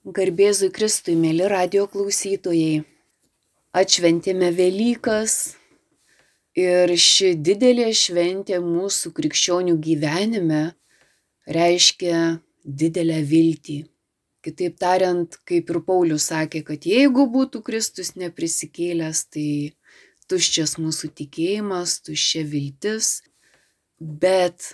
Garbėzui Kristui, mėly radijo klausytojai. Atšventėme Velykas ir ši didelė šventė mūsų krikščionių gyvenime reiškia didelę viltį. Kitaip tariant, kaip ir Paulius sakė, kad jeigu būtų Kristus neprisikėlęs, tai tuščias mūsų tikėjimas, tuščia viltis. Bet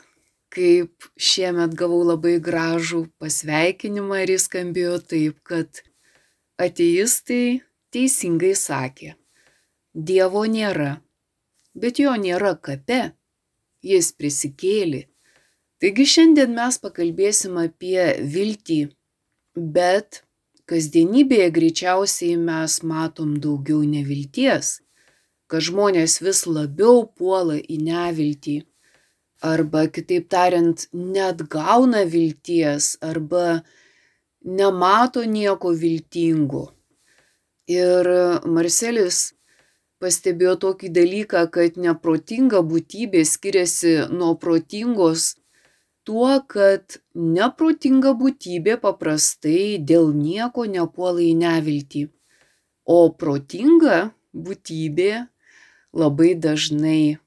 kaip šiemet gavau labai gražų pasveikinimą ir jis skambėjo taip, kad ateistai teisingai sakė, Dievo nėra, bet jo nėra kape, jis prisikėlė. Taigi šiandien mes pakalbėsim apie viltį, bet kasdienybėje greičiausiai mes matom daugiau nevilties, kad žmonės vis labiau puola į neviltį. Arba, kitaip tariant, neatgauna vilties, arba nemato nieko viltingo. Ir Marcelis pastebėjo tokį dalyką, kad neprotinga būtybė skiriasi nuo protingos tuo, kad neprotinga būtybė paprastai dėl nieko nepuola į neviltį, o protinga būtybė labai dažnai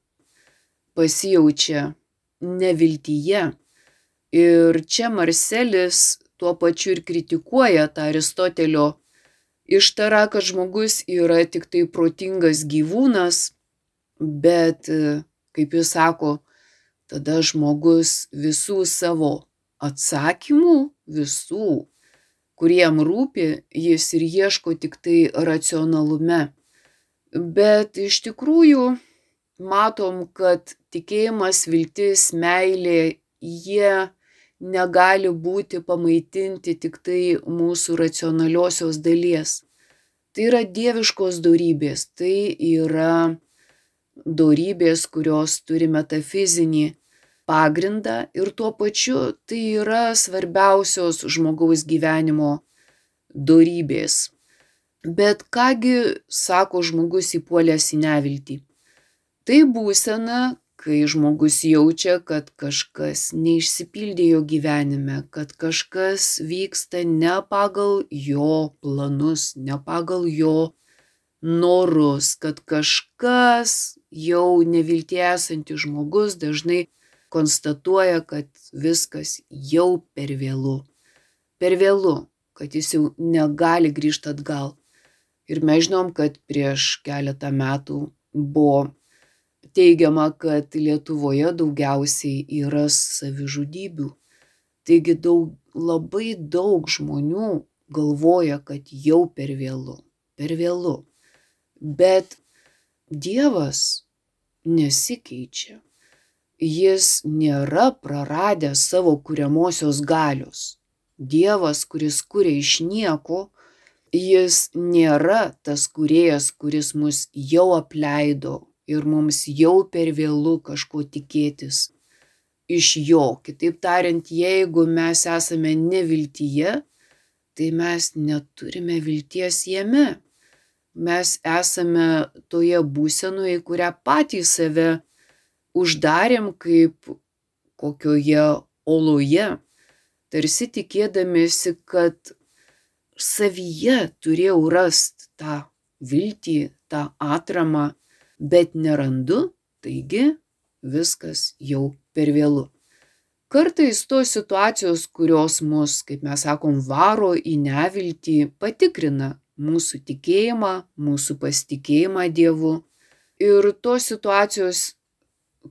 pasijaučia neviltyje. Ir čia Marcelis tuo pačiu ir kritikuoja tą Aristotelio ištarą, kad žmogus yra tik tai protingas gyvūnas, bet, kaip jis sako, tada žmogus visų savo atsakymų, visų, kuriem rūpi, jis ir ieško tik tai racionalume. Bet iš tikrųjų matom, kad tikėjimas, viltis, meilė, jie negali būti pamaitinti tik tai mūsų racionaliosios dalies. Tai yra dieviškos dorybės, tai yra dorybės, kurios turi metafizinį pagrindą ir tuo pačiu tai yra svarbiausios žmogaus gyvenimo dorybės. Bet kągi sako žmogus įpuolęs į neviltį? Tai būsena, kai žmogus jaučia, kad kažkas neišsipildė jo gyvenime, kad kažkas vyksta ne pagal jo planus, ne pagal jo norus, kad kažkas jau neviltyje esantis žmogus dažnai konstatuoja, kad viskas jau per vėlu. Per vėlu, kad jis jau negali grįžti atgal. Ir mes žinom, kad prieš keletą metų buvo teigiama, kad Lietuvoje daugiausiai yra savižudybių. Taigi labai daug žmonių galvoja, kad jau per vėlu, per vėlu. Bet Dievas nesikeičia. Jis nėra praradęs savo kuriamosios galios. Dievas, kuris kuria iš nieko, jis nėra tas kūrėjas, kuris mus jau apleido ir mums jau per vėlu kažko tikėtis iš jo. Kitaip tariant, jeigu mes esame neviltyje, tai mes neturime vilties jame. Mes esame toje būsenoje, kurią patys save uždarėm kaip kokioje oloje, tarsi tikėdamiesi, kad savyje turėjau rasti tą viltį, tą atramą, bet nerandu, taigi viskas jau per vėlu. Kartais tos situacijos, kurios mus, kaip mes sakom, varo į neviltį, patikrina mūsų tikėjimą, mūsų pasitikėjimą Dievu. Ir tos situacijos,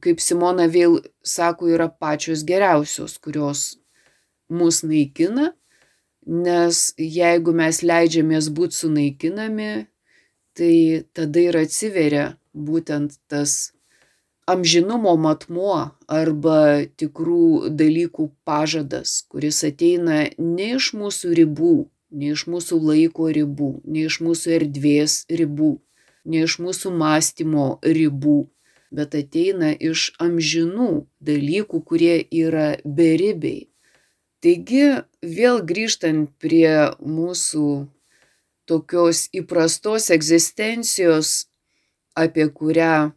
kaip Simona vėl sako, yra pačios geriausios, kurios mus naikina, nes jeigu mes leidžiamės būti sunaikinami, tai tada ir atsiveria būtent tas amžinumo matmuo arba tikrų dalykų pažadas, kuris ateina ne iš mūsų ribų, ne iš mūsų laiko ribų, ne iš mūsų erdvės ribų, ne iš mūsų mąstymo ribų, bet ateina iš amžinų dalykų, kurie yra beribiai. Taigi, vėl grįžtant prie mūsų tokios įprastos egzistencijos, apie kurią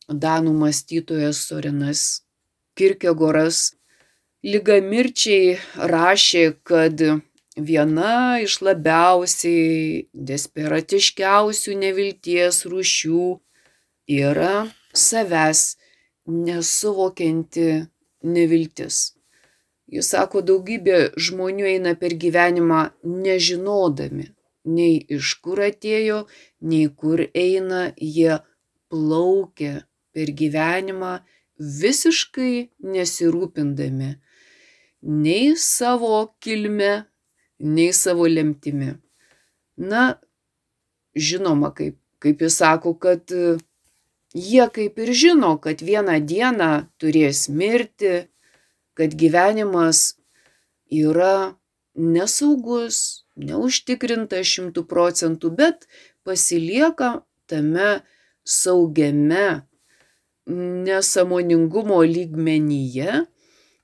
danų mąstytojas Sorenas Kierkegoras lygamirčiai rašė, kad viena iš labiausiai desperatiškiausių nevilties rūšių yra savęs nesuvokianti neviltis. Jis sako, daugybė žmonių eina per gyvenimą nežinodami, nei iš kur atėjo, nei kur eina, jie plaukia per gyvenimą visiškai nesirūpindami nei savo kilme, nei savo lemtimi. Na, žinoma, kaip jis sako, kad jie kaip ir žino, kad vieną dieną turės mirti, kad gyvenimas yra nesaugus, neužtikrintas 100%, bet pasilieka tame saugiame nesąmoningumo lygmenyje,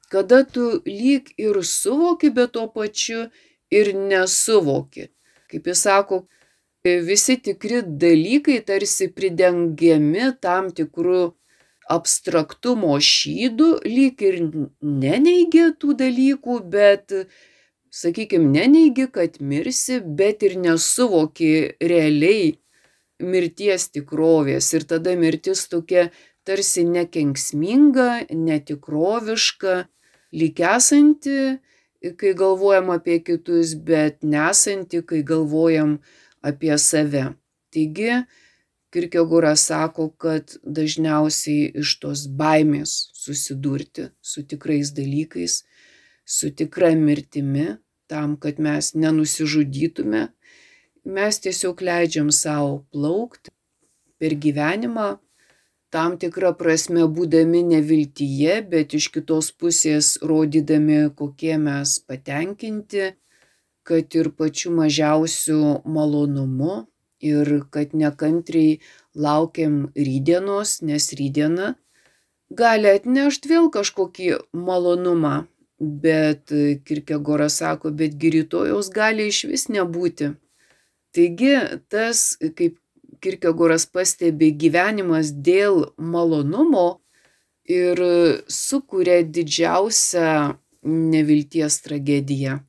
kada tu lyg ir suvoki, bet tuo pačiu ir nesuvoki. Kaip jis sako, visi tikri dalykai tarsi pridengiami tam tikrų abstraktumo šydu, lyg ir neneigi tų dalykų, bet, sakykime, neneigi, kad mirsi, bet ir nesuvoki realiai mirties tikrovės. Ir tada mirtis tokia tarsi nekenksminga, netikroviška, lyg esanti, kai galvojam apie kitus, bet nesanti, kai galvojam apie save. Taigi, Kierkegoras sako, kad dažniausiai iš tos baimės susidurti su tikrais dalykais, su tikra mirtimi, tam, kad mes nenusižudytume, mes tiesiog leidžiam savo plaukti per gyvenimą, tam tikrą prasme būdami neviltyje, bet iš kitos pusės rodydami, kokie mes patenkinti, kad ir pačiu mažiausiu malonumu, ir kad nekantriai laukiam rytdienos, nes rytdiena gali atnešti vėl kažkokį malonumą, bet Kierkegoras sako, betgi rytojaus gali išvis nebūti. Taigi tas, kaip Kierkegoras pastebi, gyvenimas dėl malonumo ir sukuria didžiausią nevilties tragediją.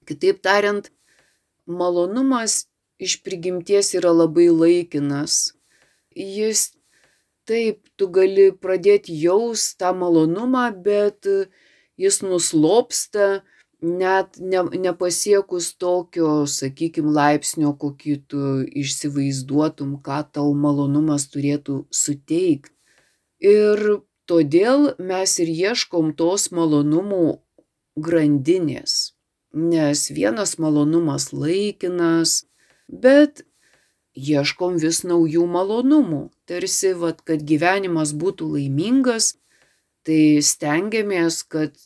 Kitaip tariant, malonumas iš prigimties yra labai laikinas. Jis taip, tu gali pradėti jaust tą malonumą, bet jis nuslopsta net nepasiekus tokio, sakykime, laipsnio, kokį tu įsivaizduotum, ką tau malonumas turėtų suteikti. Ir todėl mes ir ieškom tos malonumų grandinės, nes vienas malonumas laikinas, bet ieškom vis naujų malonumų. Tarsi, kad gyvenimas būtų laimingas, tai stengiamės, kad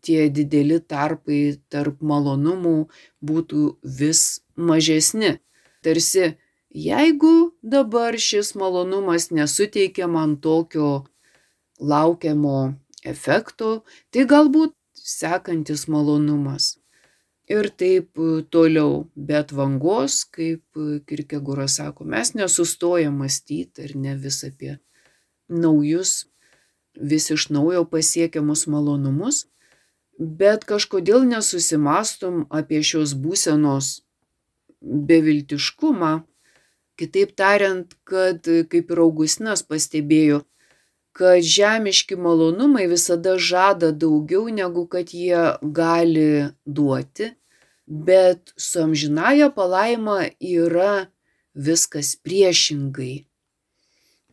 tie dideli tarpai tarp malonumų būtų vis mažesni. Tarsi, jeigu dabar šis malonumas nesuteikia man tokio laukiamo efekto, tai galbūt sekantis malonumas. Ir taip toliau, bet vangos, kaip Kierkegoras sako, mes nesustojam mąstyti ir ne vis apie naujus, vis iš naujo pasiekiamus malonumus, bet kažkodėl nesusimastom apie šios būsenos beviltiškumą. Kitaip tariant, kad, kaip ir Augustinas pastebėjo, kad žemiški malonumai visada žada daugiau, negu kad jie gali duoti, bet su amžinąja palaima yra viskas priešingai.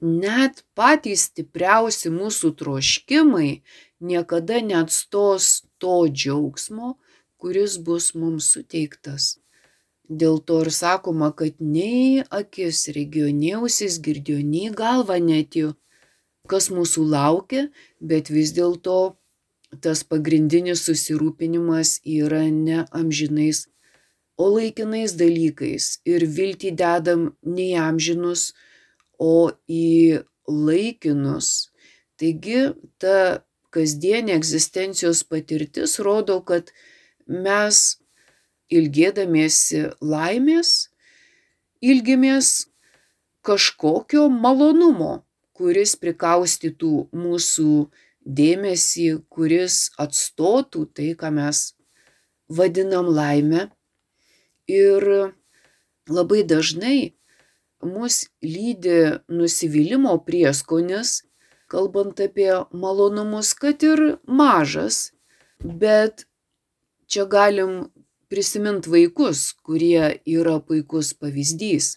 Net patys stipriausi mūsų troškimai niekada neatstos to džiaugsmo, kuris bus mums suteiktas. Dėl to ir sakoma, kad nei akis regėjo, nei ausis girdėjo, nei galva netėjo, kas mūsų laukia, bet vis dėlto tas pagrindinis susirūpinimas yra ne amžinais, o laikinais dalykais. Ir viltį dedam ne į amžinus, o į laikinus. Taigi ta kasdienė egzistencijos patirtis rodo, kad mes ilgėdamiesi laimės, ilgimės kažkokio malonumo, kuris prikaustytų mūsų dėmesį, kuris atstotų tai, ką mes vadinam laime. Ir labai dažnai mus lydi nusivylimo prieskonis, kalbant apie malonumus, kad ir mažas, bet čia galim prisiminti vaikus, kurie yra puikus pavyzdys.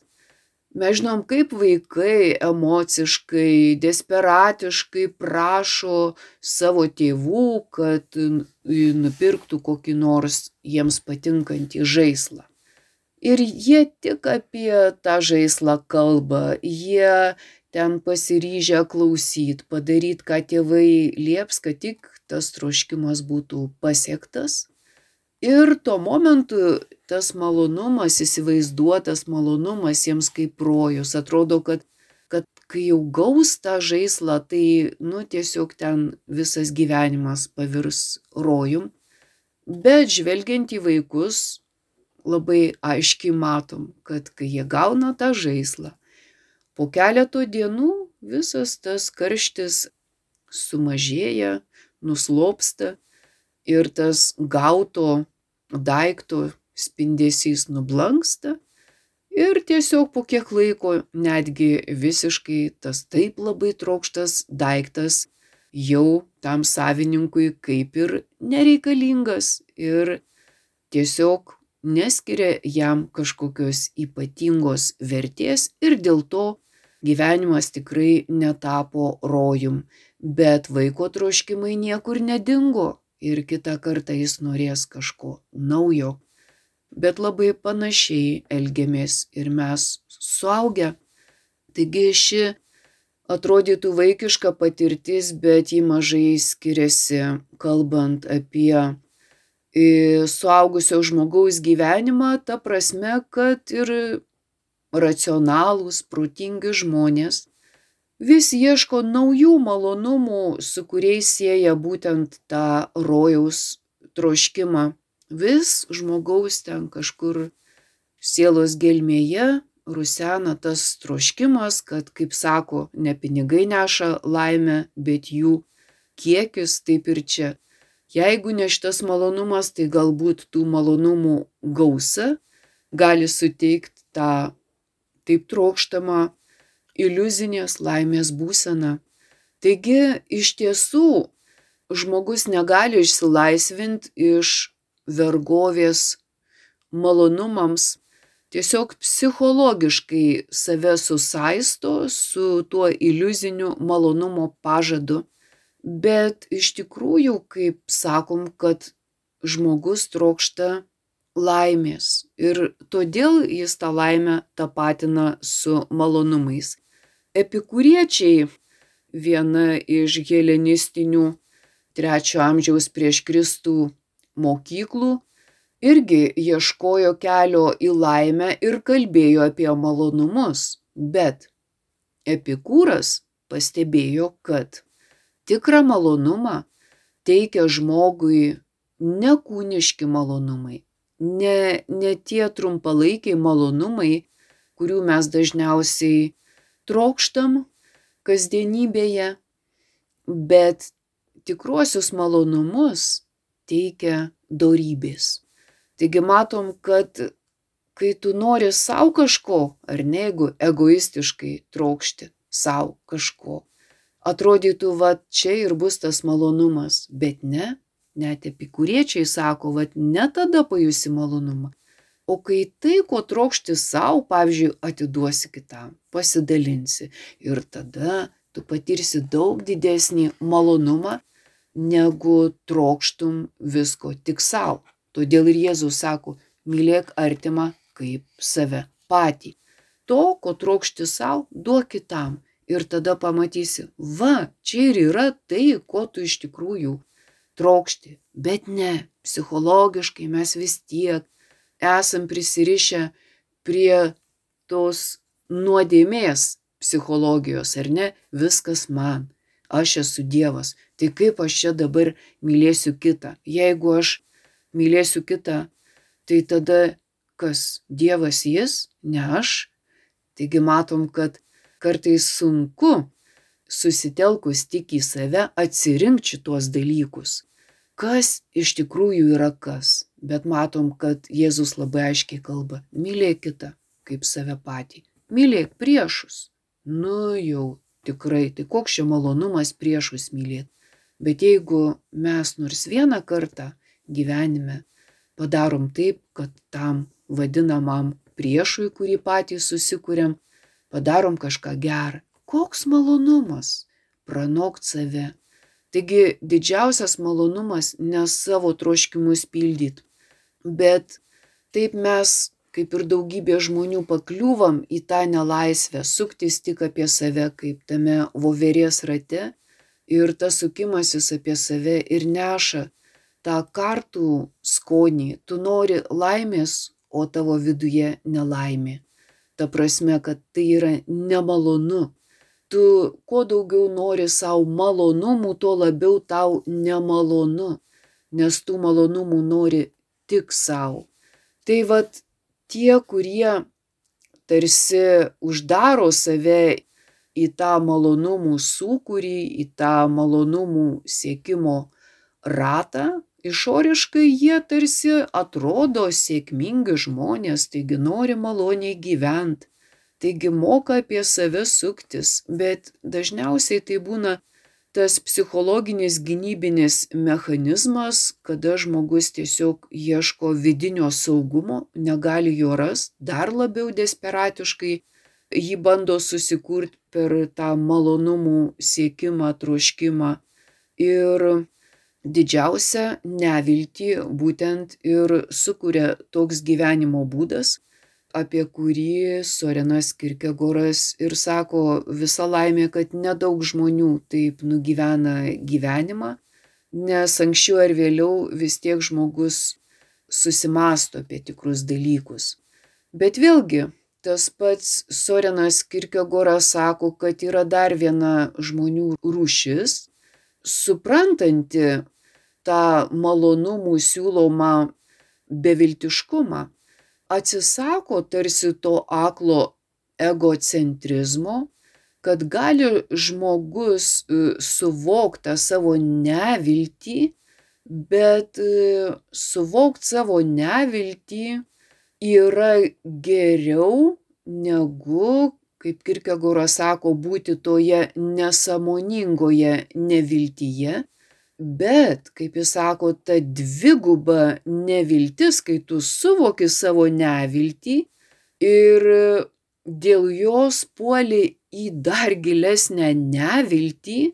Mes žinom, kaip vaikai emociškai, desperatiškai prašo savo tėvų, kad nupirktų kokį nors jiems patinkantį žaislą. Ir jie tik apie tą žaislą kalba, jie ten pasiryžę klausyt, padaryt, ką tėvai lieps, kad tik tas troškimas būtų pasiektas. Ir tuo momentu tas malonumas, įsivaizduotas malonumas jiems kaip rojus. Atrodo, kad kai jau gaus tą žaislą, tai tiesiog ten visas gyvenimas pavirs rojum. Bet žvelgiant į vaikus, labai aiškiai matom, kad kai jie gauna tą žaislą, po keleto dienų visas tas karštis sumažėja, nuslopsta ir tas gauto daikto spindesys nublanksta ir tiesiog po kiek laiko netgi visiškai tas taip labai trokštas daiktas jau tam savininkui kaip ir nereikalingas ir tiesiog neskiria jam kažkokios ypatingos vertės ir dėl to gyvenimas tikrai netapo rojum. Bet vaiko troškimai niekur nedingo ir kitą kartą jis norės kažko naujo. Bet labai panašiai elgiamės ir mes suaugę. Taigi ši atrodytų vaikiška patirtis, bet ji mažai skiriasi, kalbant apie suaugusio žmogaus gyvenimą, ta prasme, kad ir racionalūs, protingi žmonės vis ieško naujų malonumų, su kuriais sieja būtent tą rojaus troškimą. Vis žmogaus ten kažkur sielos gelmėje rusena tas troškimas, kad, kaip sako, ne pinigai neša laimę, bet jų kiekis, taip ir čia. Jeigu ne šitas malonumas, tai galbūt tų malonumų gausa gali suteikti tą taip trokštamą iliuzinės laimės būseną. Taigi, iš tiesų, žmogus negali išsilaisvinti iš vergovės malonumams, tiesiog psichologiškai save susaisto su tuo iliuziniu malonumo pažadu. Bet iš tikrųjų, kaip sakom, kad žmogus trokšta laimės ir todėl jis tą laimę tapatina su malonumais. Epikūriečiai, viena iš helenistinių 3 amžiaus prieš Kristų mokyklų, irgi ieškojo kelio į laimę ir kalbėjo apie malonumus, bet Epikūras pastebėjo, kad tikrą malonumą teikia žmogui ne kūniški malonumai, ne tie trumpalaikiai malonumai, kurių mes dažniausiai trokštam kasdienybėje, bet tikruosius malonumus teikia dorybės. Taigi matom, kad kai tu nori savo kažko, ar ne, jeigu egoistiškai trokšti savo kažko, atrodytų, čia ir bus tas malonumas, bet ne, net epikūriečiai sako, ne tada pajusi malonumą, o kai tai, ko trokšti savo, pavyzdžiui, atiduosi kitam, pasidalinsi ir tada tu patirsi daug didesnį malonumą, negu trokštum visko tik savo. Todėl ir Jėzus sako, mylėk artimą kaip save patį. To, ko trokšti savo, duok kitam. Ir tada pamatysi, čia ir yra tai, ko tu iš tikrųjų trokšti. Bet ne, psichologiškai mes vis tiek esam prisirišę prie tos nuodėmės psichologijos, ar ne? Viskas man, aš esu Dievas. Tai kaip aš čia dabar mylėsiu kitą? Jeigu aš mylėsiu kitą, tai tada kas? Dievas jis, ne aš? Taigi matom, kad kartais sunku susitelkus tik į save atsirinkti šitos dalykus. Kas iš tikrųjų yra kas? Bet matom, kad Jėzus labai aiškiai kalba: mylėk kitą kaip save patį. Mylėk priešus. Nu jau tikrai, tai koks čia malonumas priešus mylėti. Bet jeigu mes nors vieną kartą gyvenime padarom taip, kad tam vadinamam priešui, kurį patys susikuriam, padarom kažką gerą, koks malonumas pranokt save. Taigi didžiausias malonumas ne savo troškimus pildyti, bet taip mes, kaip ir daugybė žmonių, pakliūvam į tą nelaisvę, suktis tik apie save, kaip tame voverės rate, ir tas sukimasis apie save ir neša tą kartų skonį. Tu nori laimės, o tavo viduje nelaimė. Ta prasme, kad tai yra nemalonu. Tu kuo daugiau nori savo malonumų, tuo labiau tau nemalonu, nes tų malonumų nori tik savo. Tai vat tie, kurie tarsi uždaro save į tą malonumų sūkurį, į tą malonumų siekimo ratą, išoriškai jie tarsi atrodo sėkmingi žmonės, taigi nori maloniai gyventi, taigi moka apie save suktis, bet dažniausiai tai būna tas psichologinis gynybinis mechanizmas, kada žmogus tiesiog ieško vidinio saugumo, negali jo rasti, dar labiau desperatiškai jį bando susikurti per tą malonumų siekimą, troškimą. Ir didžiausią neviltį būtent ir sukuria toks gyvenimo būdas, apie kurį Sorenas Kierkegoras ir sako: visa laimė, kad nedaug žmonių taip nugyvena gyvenimą, nes anksčiau ar vėliau vis tiek žmogus susimąsto apie tikrus dalykus. Bet vėlgi, tas pats Sorenas Kierkegoras sako, kad yra dar viena žmonių rūšis, suprantanti tą malonumų siūlomą beviltiškumą, atsisako tarsi to aklo egocentrizmo, kad gali žmogus suvokti tą savo neviltį, bet suvokti savo neviltį yra geriau negu, kaip Kierkegoras sako, būti toje nesąmoningoje neviltyje. Bet, kaip jis sako, ta dviguba neviltis, kai tu suvoki savo neviltį ir dėl jos puoli į dar gilesnę neviltį,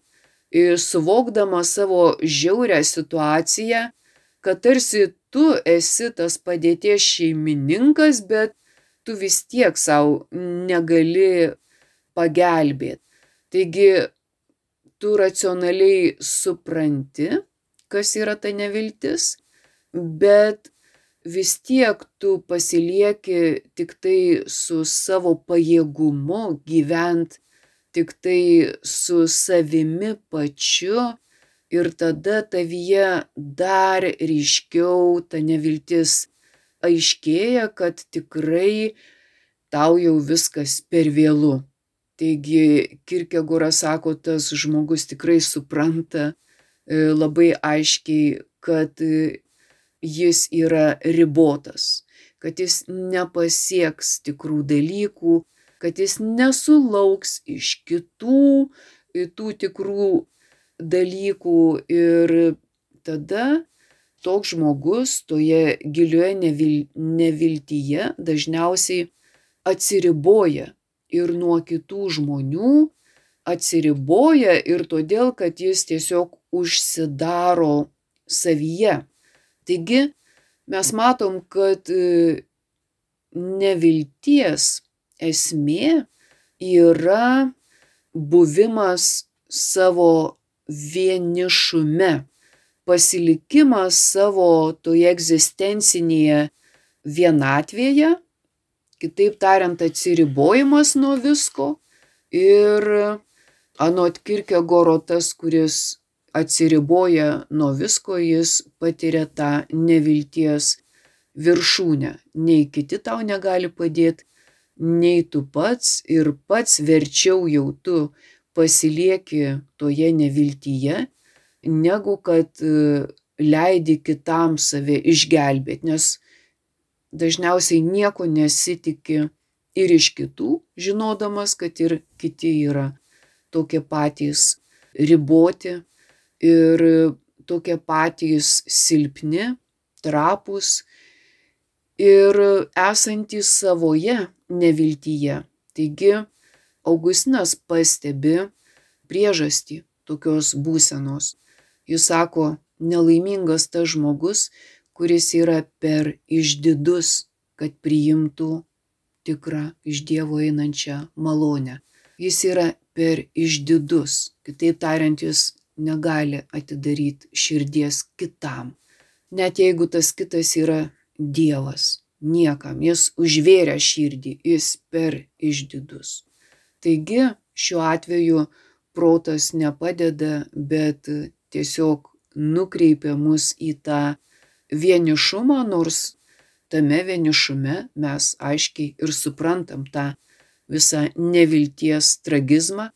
ir suvokdama savo žiaurią situaciją, kad tarsi tu esi tas padėties šeimininkas, bet tu vis tiek savo negali pagelbėti. Taigi, tu racionaliai supranti, kas yra ta neviltis, bet vis tiek tu pasilieki tik tai su savo pajėgumu gyventi, tik tai su savimi pačiu, ir tada tavyje dar ryškiau ta neviltis aiškėja, kad tikrai tau jau viskas per vėlu. Taigi Kierkegoras sako, tas žmogus tikrai supranta labai aiškiai, kad jis yra ribotas, kad jis nepasieks tikrų dalykų, kad jis nesulauks iš kitų tų tikrų dalykų, ir tada toks žmogus toje gilioje neviltyje dažniausiai atsiriboja ir nuo kitų žmonių, atsiriboja ir todėl, kad jis tiesiog užsidaro savyje. Taigi mes matom, kad nevilties esmė yra buvimas savo vienišume, pasilikimas savo toje egzistencinėje vienatvėje, kitaip tariant, atsiribojimas nuo visko. Ir anot Kierkegoro, tas, kuris atsiriboja nuo visko, jis patiria tą nevilties viršūnę. Nei kiti tau negali padėti, nei tu pats, ir pats verčiau jau tu pasilieki toje neviltyje, negu kad leidi kitam save išgelbėti, nes dažniausiai nieko nesitiki ir iš kitų, žinodamas, kad ir kiti yra tokie patys riboti ir tokie patys silpni, trapūs ir esantys savoje neviltyje. Taigi Augustinas pastebi priežastį tokios būsenos. Jis sako, nelaimingas tas žmogus, kuris yra per išdidus, kad priimtų tikrą iš Dievo einančią malonę. Jis yra per išdidus, kitaip tariant, jis negali atidaryti širdies kitam. Net jeigu tas kitas yra Dievas, niekam, jis užvėrė širdį, jis per išdidus. Taigi šiuo atveju protas nepadeda, bet tiesiog nukreipia mus į tą vienišumą, nors tame vienišume mes aiškiai ir suprantam tą visą nevilties tragizmą,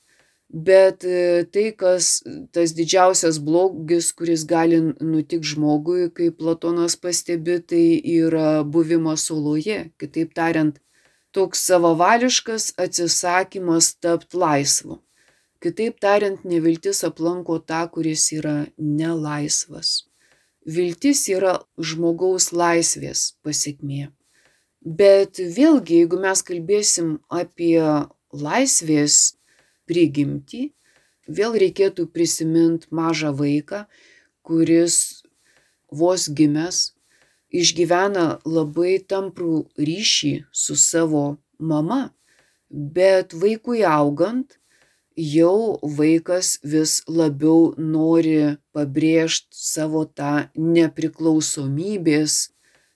bet tai, kas tas didžiausias blogis, kuris gali nutikti žmogui, kaip Platonas pastebi, tai yra buvimas oloje. Kitaip tariant, toks savavališkas atsisakymas tapti laisvu. Kitaip tariant, neviltis aplanko tą, kuris yra nelaisvas. Viltis yra žmogaus laisvės pasekmė. Bet vėlgi, jeigu mes kalbėsim apie laisvės prigimtį, vėl reikėtų prisiminti mažą vaiką, kuris vos gimęs išgyvena labai tamprų ryšį su savo mama, bet vaikui augant, jau vaikas vis labiau nori pabrėžti savo tą nepriklausomybės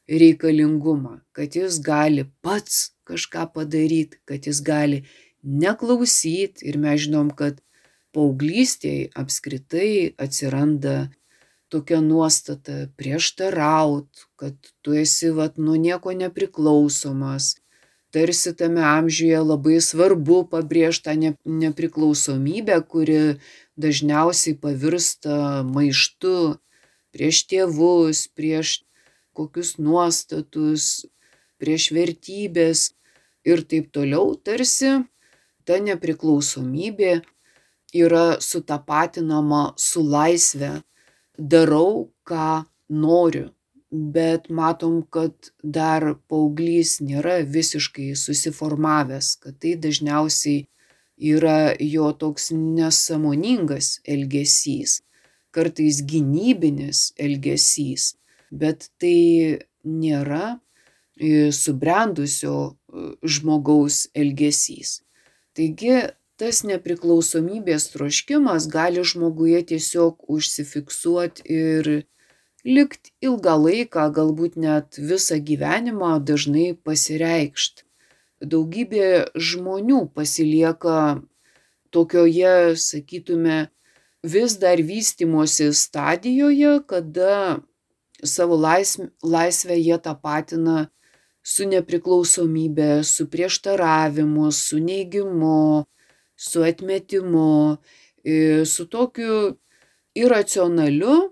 reikalingumą, kad jis gali pats kažką padaryti, kad jis gali neklausyti. Ir mes žinom, kad paauglystėje apskritai atsiranda tokia nuostata prieštaraut, kad tu esi nuo nieko nepriklausomas. Tarsi tame amžiuje labai svarbu pabrėžti tą nepriklausomybę, kuri dažniausiai pavirsta maištu prieš tėvus, prieš kokius nuostatus, prieš vertybės ir taip toliau. Tarsi ta nepriklausomybė yra sutapatinama su laisve. Darau, ką noriu. Bet matom, kad dar paauglys nėra visiškai susiformavęs, kad tai dažniausiai yra jo toks nesąmoningas elgesys, kartais gynybinis elgesys, bet tai nėra subrendusio žmogaus elgesys. Taigi tas nepriklausomybės troškimas gali žmoguje tiesiog užsifiksuoti ir likt ilgą laiką, galbūt net visą gyvenimą, dažnai pasireikšt. Daugybė žmonių pasilieka tokioje, sakytume, vis dar vystymosi stadijoje, kada savo laisvę jie tapatina su nepriklausomybė, su prieštaravimu, su neigimu, su atmetimu, su tokiu iracionaliu,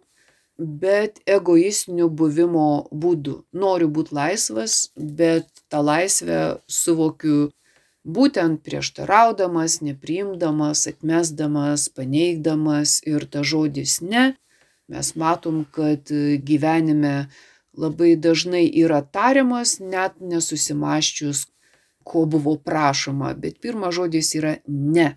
bet egoistiniu buvimo būdu. Noriu būti laisvas, bet tą laisvę suvokiu būtent prieštaraudamas, nepriimdamas, atmesdamas, paneigdamas, ir tas žodis ne. Mes matom, kad gyvenime labai dažnai yra tariamas, net nesusimąsčius, ko buvo prašoma, bet pirmas žodis yra ne,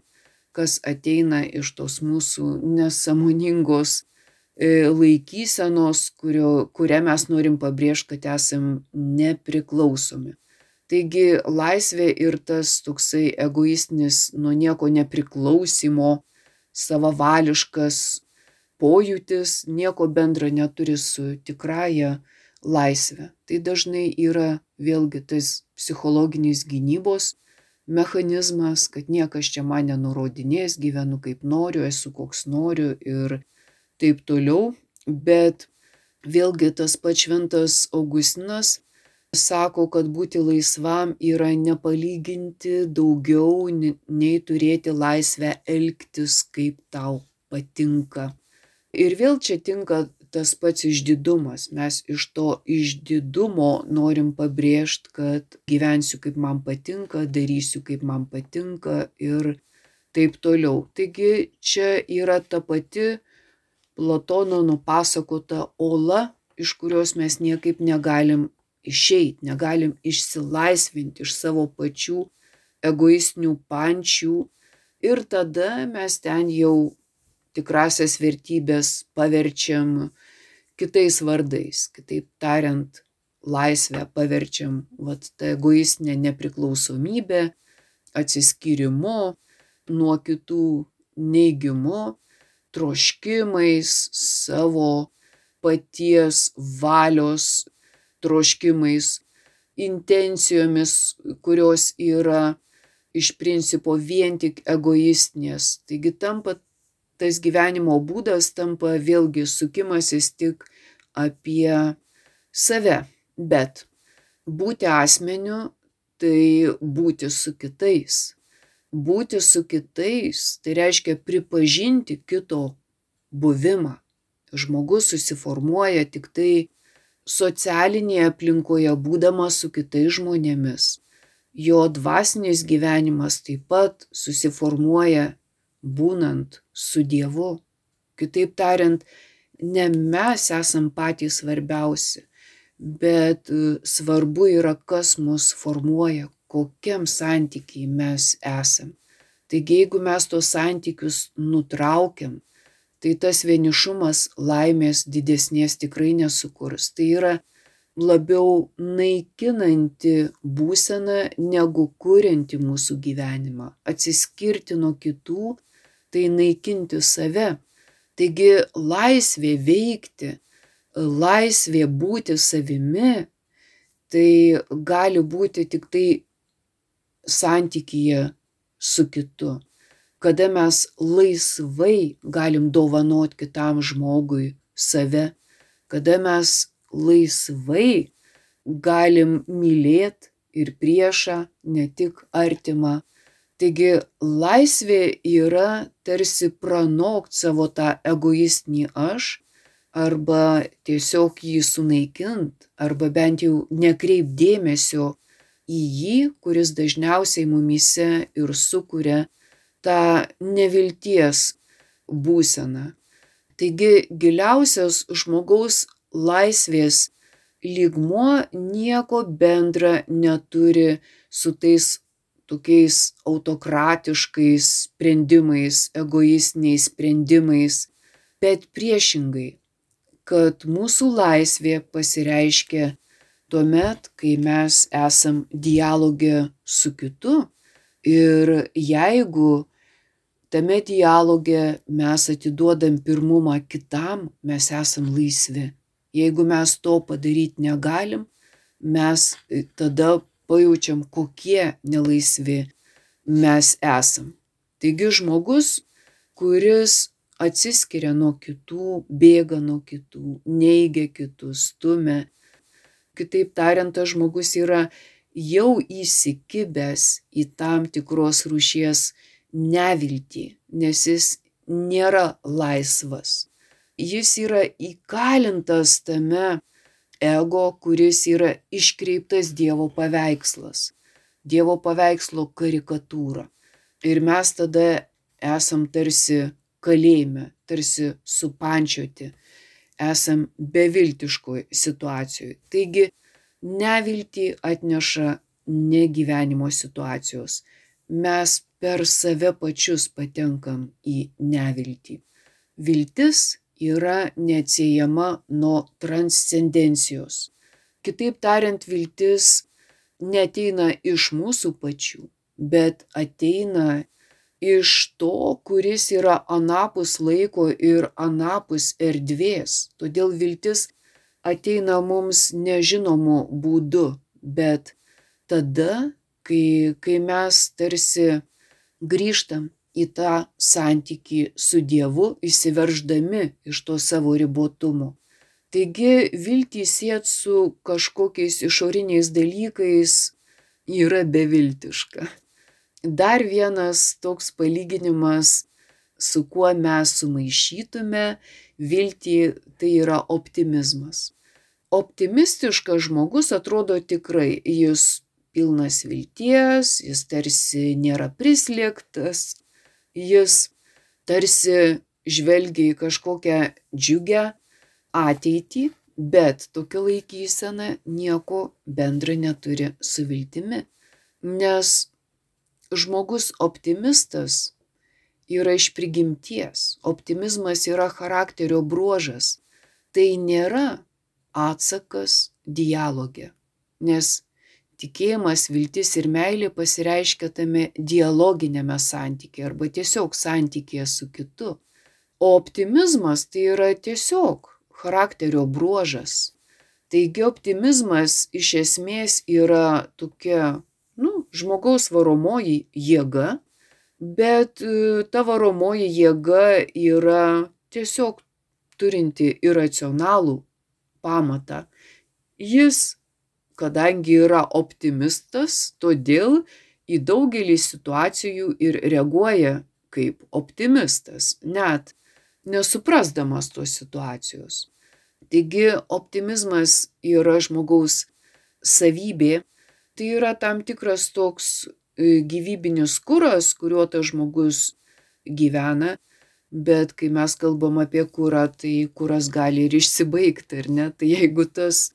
kas ateina iš tos mūsų nesąmoningos laikysenos, kurią mes norim pabrėžti, kad esam nepriklausomi. Taigi laisvė ir tas toksai egoistinis nuo nieko nepriklausimo, savavališkas pojūtis nieko bendra neturi su tikrąja laisve. Tai dažnai yra vėlgi tas psichologinis gynybos mechanizmas, kad niekas čia man nenurodinės, gyvenu kaip noriu, esu koks noriu ir taip toliau. Bet vėlgi tas pats šventas Augustinas sako, kad būti laisvam yra nepalyginti daugiau nei turėti laisvę elgtis, kaip tau patinka. Ir vėl čia tinka tas pats išdidumas. Mes iš to išdidumo norim pabrėžti, kad gyvensiu kaip man patinka, darysiu kaip man patinka ir taip toliau. Taigi čia yra ta pati Platono nupasakota ola, iš kurios mes niekaip negalim išeiti, negalim išsilaisvinti iš savo pačių egoistinių pančių ir tada mes ten jau tikrasias vertybės paverčiam kitais vardais. Kitaip tariant, laisvę paverčiam tą egoistinę nepriklausomybę, atsiskyrimu nuo kitų, neigimu, troškimais, savo paties valios troškimais, intencijomis, kurios yra iš principo vien tik egoistinės. Taigi tas gyvenimo būdas tampa vėlgi sukimasis tik apie save. Bet būti asmeniu tai būti su kitais. Būti su kitais tai reiškia pripažinti kito buvimą. Žmogus susiformuoja tik tai socialinėje aplinkoje būdamas su kitais žmonėmis. Jo dvasinis gyvenimas taip pat susiformuoja būnant su Dievu. Kitaip tariant, ne mes esam patys svarbiausi, bet svarbu yra, kas mus formuoja, kokiam santykiai mes esam. Taigi, jeigu mes tos santykius nutraukiam, tai tas vienišumas laimės didesnės tikrai nesukurs. Tai yra labiau naikinanti būsena negu kurianti mūsų gyvenimą. Atsiskirti nuo kitų, tai naikinti save. Taigi laisvė veikti, laisvė būti savimi, tai gali būti tik tai santykyje su kitu. Kada mes laisvai galim dovanot kitam žmogui save, kada mes laisvai galim mylėt ir priešą, ne tik artimą. Taigi laisvė yra tarsi pranokt savo tą egoistinį aš, arba tiesiog jį sunaikint, arba bent jau nekreipt dėmesio į jį, kuris dažniausiai mumyse ir sukuria tą nevilties būseną. Taigi giliausias žmogaus laisvės lygmuo nieko bendra neturi su tais tokiais autokratiškais sprendimais, egoistiniais sprendimais, bet priešingai, kad mūsų laisvė pasireiškia tuomet, kai mes esam dialoge su kitu ir jeigu tame dialoge mes atiduodam pirmumą kitam, mes esam laisvi. Jeigu mes to padaryti negalim, mes tada pajaučiam, kokie nelaisvi mes esam. Taigi žmogus, kuris atsiskiria nuo kitų, bėga nuo kitų, neigia kitus, stumia. Kitaip tariant, tas žmogus yra jau įsikibęs į tam tikros rūšies neviltį, nes jis nėra laisvas. Jis yra įkalintas tame ego, kuris yra iškreiptas Dievo paveikslas, Dievo paveikslo karikatūra. Ir mes tada esam tarsi kalėjime, tarsi supančioti, esam beviltiškoj situacijoje. Taigi neviltį atneša negyvenimo situacijos. Mes per save pačius patenkam į neviltį. Viltis yra neatsiejama nuo transcendencijos. Kitaip tariant, viltis neateina iš mūsų pačių, bet ateina iš to, kuris yra anapus laiko ir anapus erdvės. Todėl viltis ateina mums nežinomu būdu, bet tada, kai mes tarsi grįžtam į tą santykį su Dievu, įsiverždami iš to savo ribotumo. Taigi viltį siet su kažkokiais išoriniais dalykais yra beviltiška. Dar vienas toks palyginimas su kuo mes sumaišytume viltį, tai yra optimizmas. Optimistiškas žmogus atrodo tikrai, jis pilnas vilties, jis tarsi nėra prislėgtas, jis tarsi žvelgia į kažkokią džiugią ateitį, bet tokia laikysena nieko bendra neturi su viltimi, nes žmogus optimistas yra iš prigimties, optimizmas yra charakterio bruožas, tai nėra atsakas dialoge, nes tikėjimas, viltis ir meilė pasireiškia tame dialoginėme santykyje arba tiesiog santykyje su kitu. O optimizmas tai yra tiesiog charakterio bruožas. Taigi optimizmas iš esmės yra tokia, žmogaus varomoji jėga, bet ta varomoji jėga yra tiesiog turinti iracionalų pamatą. Jis, kadangi yra optimistas, todėl į daugelį situacijų ir reaguoja kaip optimistas, net nesuprasdamas tos situacijos. Taigi optimizmas yra žmogaus savybė, tai yra tam tikras toks gyvybinis kuras, kuriuo tas žmogus gyvena, bet kai mes kalbam apie kurą, tai kuras gali ir išsibaigti, ar ne? Tai jeigu tas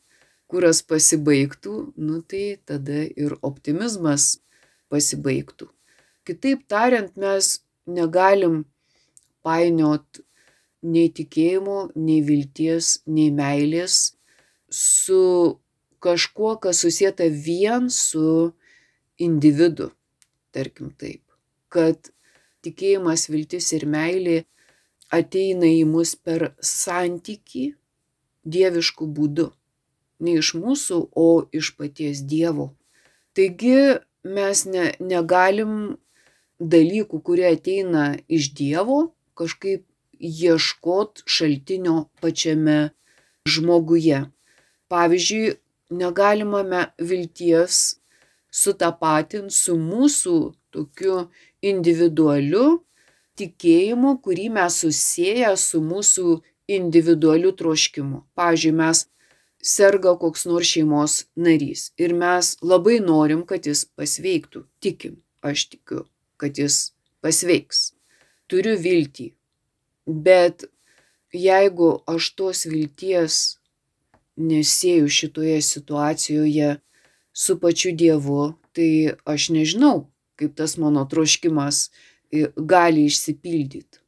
kuras pasibaigtų, tai tada ir optimizmas pasibaigtų. Kitaip tariant, mes negalim painiot nei tikėjimo, nei vilties, nei meilės su kažkuo, kas susieta vien su individu, tarkim taip, kad tikėjimas, viltis ir meilė ateina į mus per santykį dievišku būdu. Ne iš mūsų, o iš paties Dievo. Taigi mes negalim dalykų, kurie ateina iš Dievo, kažkaip ieškot šaltinio pačiame žmoguje. Pavyzdžiui, negalime vilties sutapatinti su mūsų tokiu individualiu tikėjimu, kurį mes susieję su mūsų individualiu troškimu. Pavyzdžiui, mes serga koks nors šeimos narys ir mes labai norim, kad jis pasveiktų. Tikim, aš tikiu, kad jis pasveiks. Turiu viltį. Bet jeigu aš tos vilties nesieju šitoje situacijoje su pačiu Dievu, tai aš nežinau, kaip tas mano troškimas gali išsipildyti.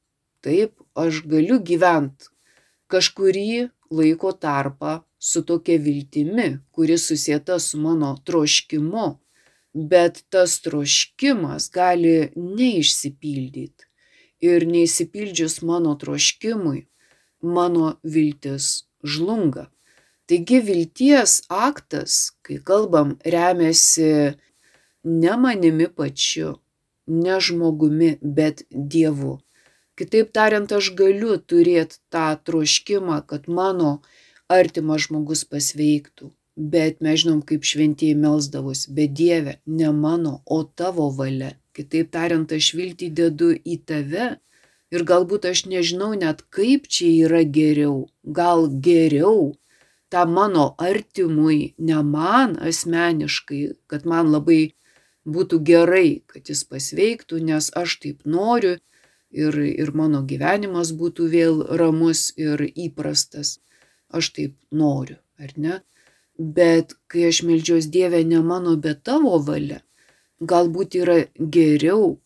Taip, aš galiu gyventi kažkurį laiko tarpą su tokia viltimi, kuri susieta su mano troškimu, bet tas troškimas gali neišsipildyti. Ir neišsipildžius mano troškimui, mano viltis žlunga. Taigi vilties aktas, kai kalbam, remiasi ne manimi pačiu, ne žmogumi, bet Dievu. Kitaip tariant, aš galiu turėti tą troškimą, kad mano artimas žmogus pasveiktų, bet mes žinom, kaip šventieji melsdavosi, bet Dieve, ne mano, o tavo valia. Kitaip tariant, aš viltį dedu į tave ir galbūt aš nežinau net, kaip čia yra geriau. Gal geriau tą mano artimui, ne man asmeniškai, kad man labai būtų gerai, kad jis pasveiktų, nes aš taip noriu ir mano gyvenimas būtų vėl ramus ir įprastas. Aš taip noriu, ar ne? Bet kai aš meldžiuos Dieve, ne mano, bet tavo valia, galbūt yra geriau,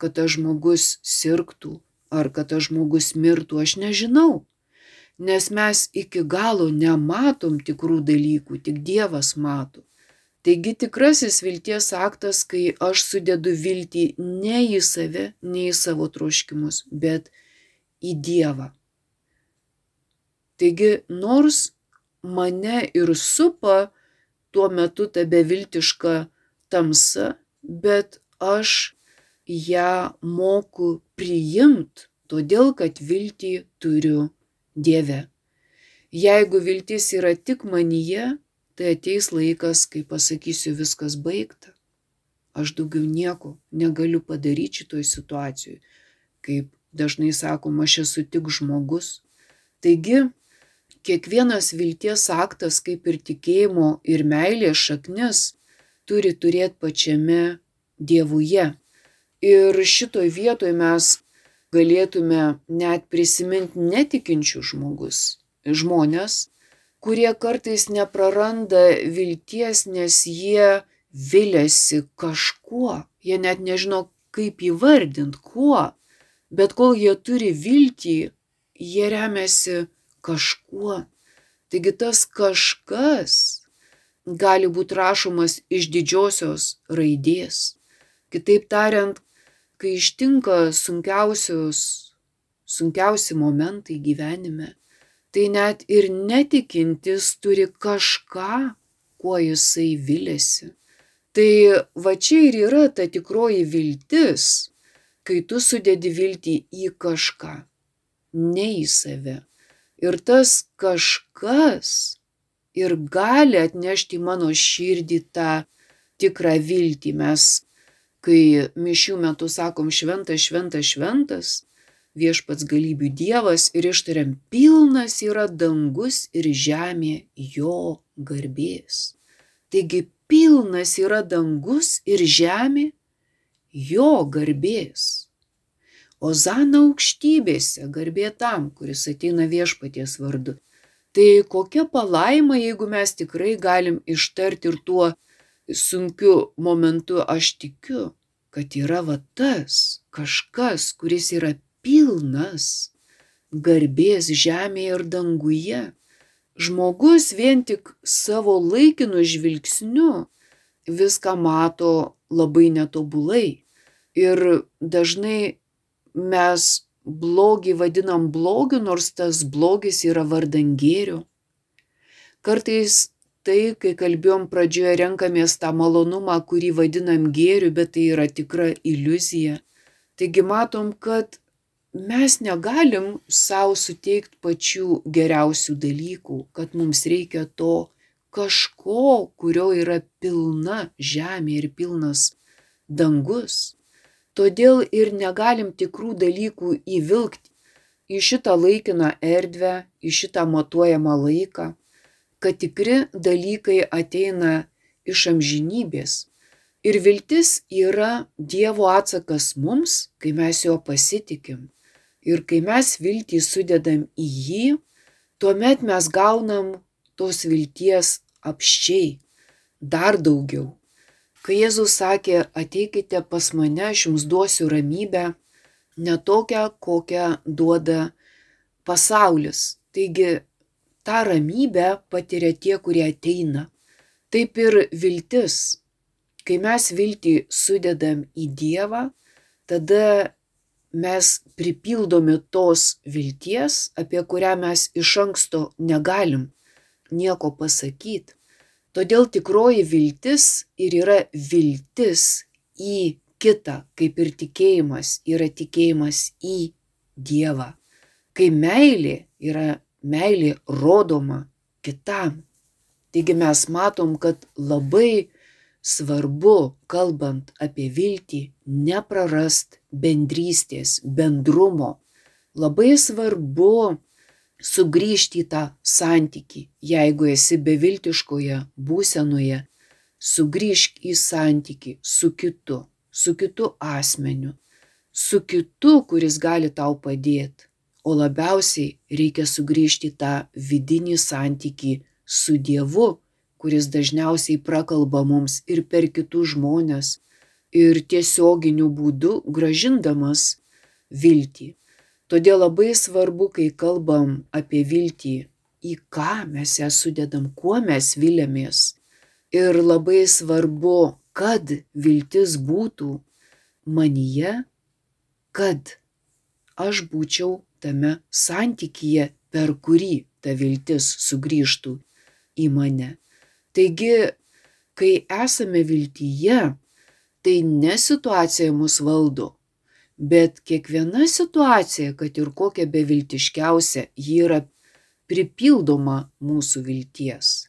kad tas žmogus sirgtų ar kad tas žmogus mirtų, aš nežinau. Nes mes iki galo nematom tikrų dalykų, tik Dievas mato. Taigi tikrasis vilties aktas, kai aš sudedu viltį ne į save, ne į savo troškimus, bet į Dievą. Taigi nors mane ir supa tuo metu ta beviltiška tamsa, bet aš ją moku priimt, todėl kad viltį turiu Dieve. Jeigu viltis yra tik manyje, tai ateis laikas, kai pasakysiu viskas baigta. Aš daugiau nieko negaliu padaryti šitoj situacijoj, kaip dažnai sakom, aš esu tik žmogus. Taigi, kiekvienas vilties aktas, kaip ir tikėjimo ir meilės šaknis, turi turėti pačiame Dievuje. Ir šitoj vietoj mes galėtume net prisiminti netikinčių žmonės, kurie kartais nepraranda vilties, nes jie viliasi kažkuo. Jie net nežino, kaip įvardinti, kuo. Bet kol jie turi viltį, jie remiasi kažkuo. Taigi tas kažkas gali būti rašomas iš didžiosios raidės. Kitaip tariant, kai ištinka sunkiausi momentai gyvenime, tai net ir netikintis turi kažką, kuo jisai viliasi. Tai va čia ir yra ta tikroji viltis, kai tu sudedi viltį į kažką, ne į save. Ir tas kažkas ir gali atnešti į mano širdį tą tikrą viltį. Mes, kai mišių metu sakom šventas, šventas, šventas, viešpats galybių Dievas ir ištariam, pilnas yra dangus ir žemė jo garbės. Taigi pilnas yra dangus ir žemė jo garbės. Ozana aukštybėse, garbė tam, kuris ateina viešpaties vardu. Tai kokia palaima, jeigu mes tikrai galim ištarti ir tuo sunkiu momentu, aš tikiu, kad yra va tas kažkas, kuris yra pilnas garbės žemėje ir danguje. Žmogus vien tik savo laikinu žvilgsniu viską mato labai netobulai. Ir dažnai mes blogį vadinam blogiu, nors tas blogis yra vardan gėrio. Kartais tai, kai kalbėjom pradžioje, renkamės tą malonumą, kurį vadinam gėriu, bet tai yra tikra iliuzija. Taigi matom, kad mes negalim savo suteikti pačių geriausių dalykų, kad mums reikia to kažko, kurio yra pilna žemė ir pilnas dangus. Todėl ir negalim tikrų dalykų įvilkti į šitą laikiną erdvę, į šitą matuojamą laiką, kad tikri dalykai ateina iš amžinybės. Ir viltis yra Dievo atsakas mums, kai mes jo pasitikim. Ir kai mes viltį sudedam į jį, tuomet mes gaunam tos vilties apsčiai, dar daugiau. Kai Jėzus sakė, ateikite pas mane, aš jums duosiu ramybę, ne tokią, kokią duoda pasaulis. Taigi, tą ramybę patiria tie, kurie ateina. Taip ir viltis. Kai mes viltį sudedam į Dievą, tada mes pripildomi tos vilties, apie kurią mes iš anksto negalim nieko pasakyti. Todėl tikroji viltis ir yra viltis į kitą, kaip ir tikėjimas yra tikėjimas į Dievą. Kai meilė yra meilė rodoma kitam. Taigi mes matom, kad labai svarbu, kalbant apie viltį, neprarast bendrystės, bendrumo. Labai svarbu sugrįžti į tą santykį. Jeigu esi beviltiškoje būsenoje, sugrįžk į santykį su kitu asmeniu, su kitu, kuris gali tau padėti. O labiausiai reikia sugrįžti į tą vidinį santykį su Dievu, kuris dažniausiai prakalba mums ir per kitus žmones, ir tiesioginiu būdu grąžindamas viltį. Todėl labai svarbu, kai kalbam apie viltį, į ką mes ją sudedam, kuo mes viliamės. Ir labai svarbu, kad viltis būtų manyje, kad aš būčiau tame santykyje, per kurį ta viltis sugrįžtų į mane. Taigi, kai esame viltyje, tai ne situacija mus valdo, bet kiekviena situacija, kad ir kokia beviltiškiausia, ji yra pripildoma mūsų vilties.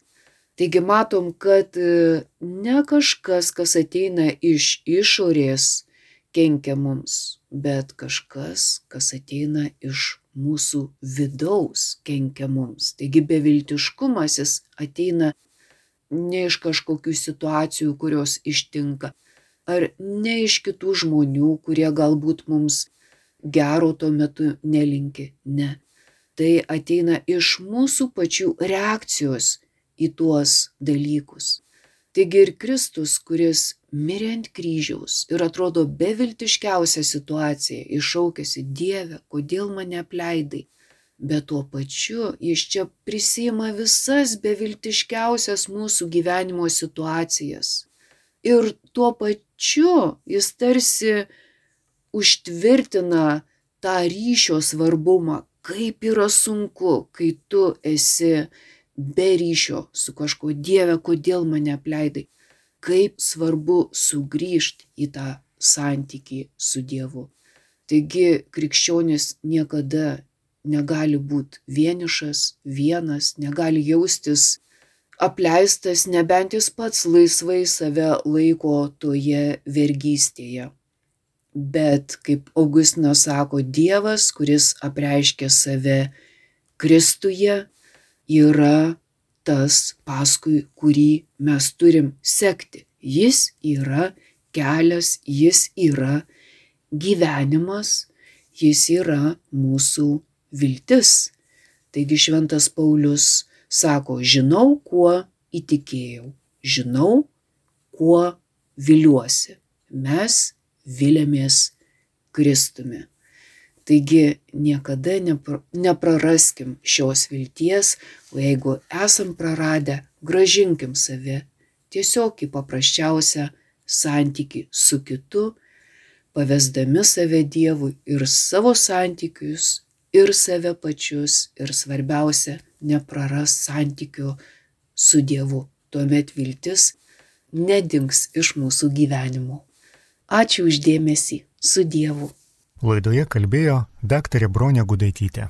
Taigi matom, kad ne kažkas, kas ateina iš išorės, kenkia mums, bet kažkas, kas ateina iš mūsų vidaus, kenkia mums. Taigi beviltiškumas jis ateina ne iš kažkokių situacijų, kurios ištinka, ar ne iš kitų žmonių, kurie galbūt mums gero tuo metu nelinki. Ne. Tai ateina iš mūsų pačių reakcijos į tuos dalykus. Taigi ir Kristus, kuris mirė ant kryžiaus ir atrodo beviltiškiausia situacija, iššaukėsi: Dieve, kodėl mane apleidai? Bet tuo pačiu jis čia prisiima visas beviltiškiausias mūsų gyvenimo situacijas. Ir tuo pačiu jis tarsi užtvirtina tą ryšio svarbumą, kaip yra sunku, kai tu esi be ryšio su kažkuo. Dieve, kodėl mane apleidai? Kaip svarbu sugrįžti į tą santykį su Dievu. Taigi krikščionis niekada negali būti vienišas, vienas, negali jaustis apleistas, nebent jis pats laisvai save laiko toje vergystėje. Bet, kaip Augustinas sako, Dievas, kuris apreiškia save Kristuje, yra tas, paskui kurį mes turim sekti. Jis yra kelias, jis yra gyvenimas, jis yra mūsų viltis. Taigi šventas Paulius sako: žinau, kuo įtikėjau, žinau, kuo viliuosi. Mes viliamės Kristumi. Taigi niekada nepraraskim šios vilties, o jeigu esam praradę, grąžinkim save tiesiog į paprasčiausią santykį su kitu, pavesdami save Dievui ir savo santykius, ir save pačius, ir svarbiausia, nepraras santykio su Dievu. Tuomet viltis nedings iš mūsų gyvenimo. Ačiū už dėmesį. Su Dievu. Laidoje kalbėjo daktarė Bronė Gudaitytė.